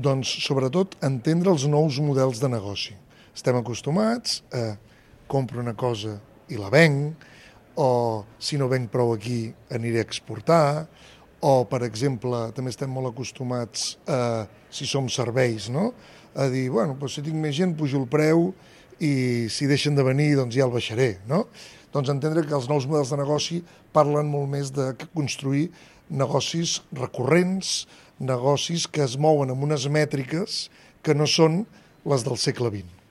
Doncs, sobretot, entendre els nous models de negoci. Estem acostumats a compro una cosa i la venc, o si no venc prou aquí aniré a exportar, o, per exemple, també estem molt acostumats a, si som serveis, no? A dir, bueno, doncs si tinc més gent pujo el preu i si deixen de venir doncs ja el baixaré, no? Doncs entendre que els nous models de negoci parlen molt més de construir negocis recurrents, negocis que es mouen amb unes mètriques que no són les del segle XX.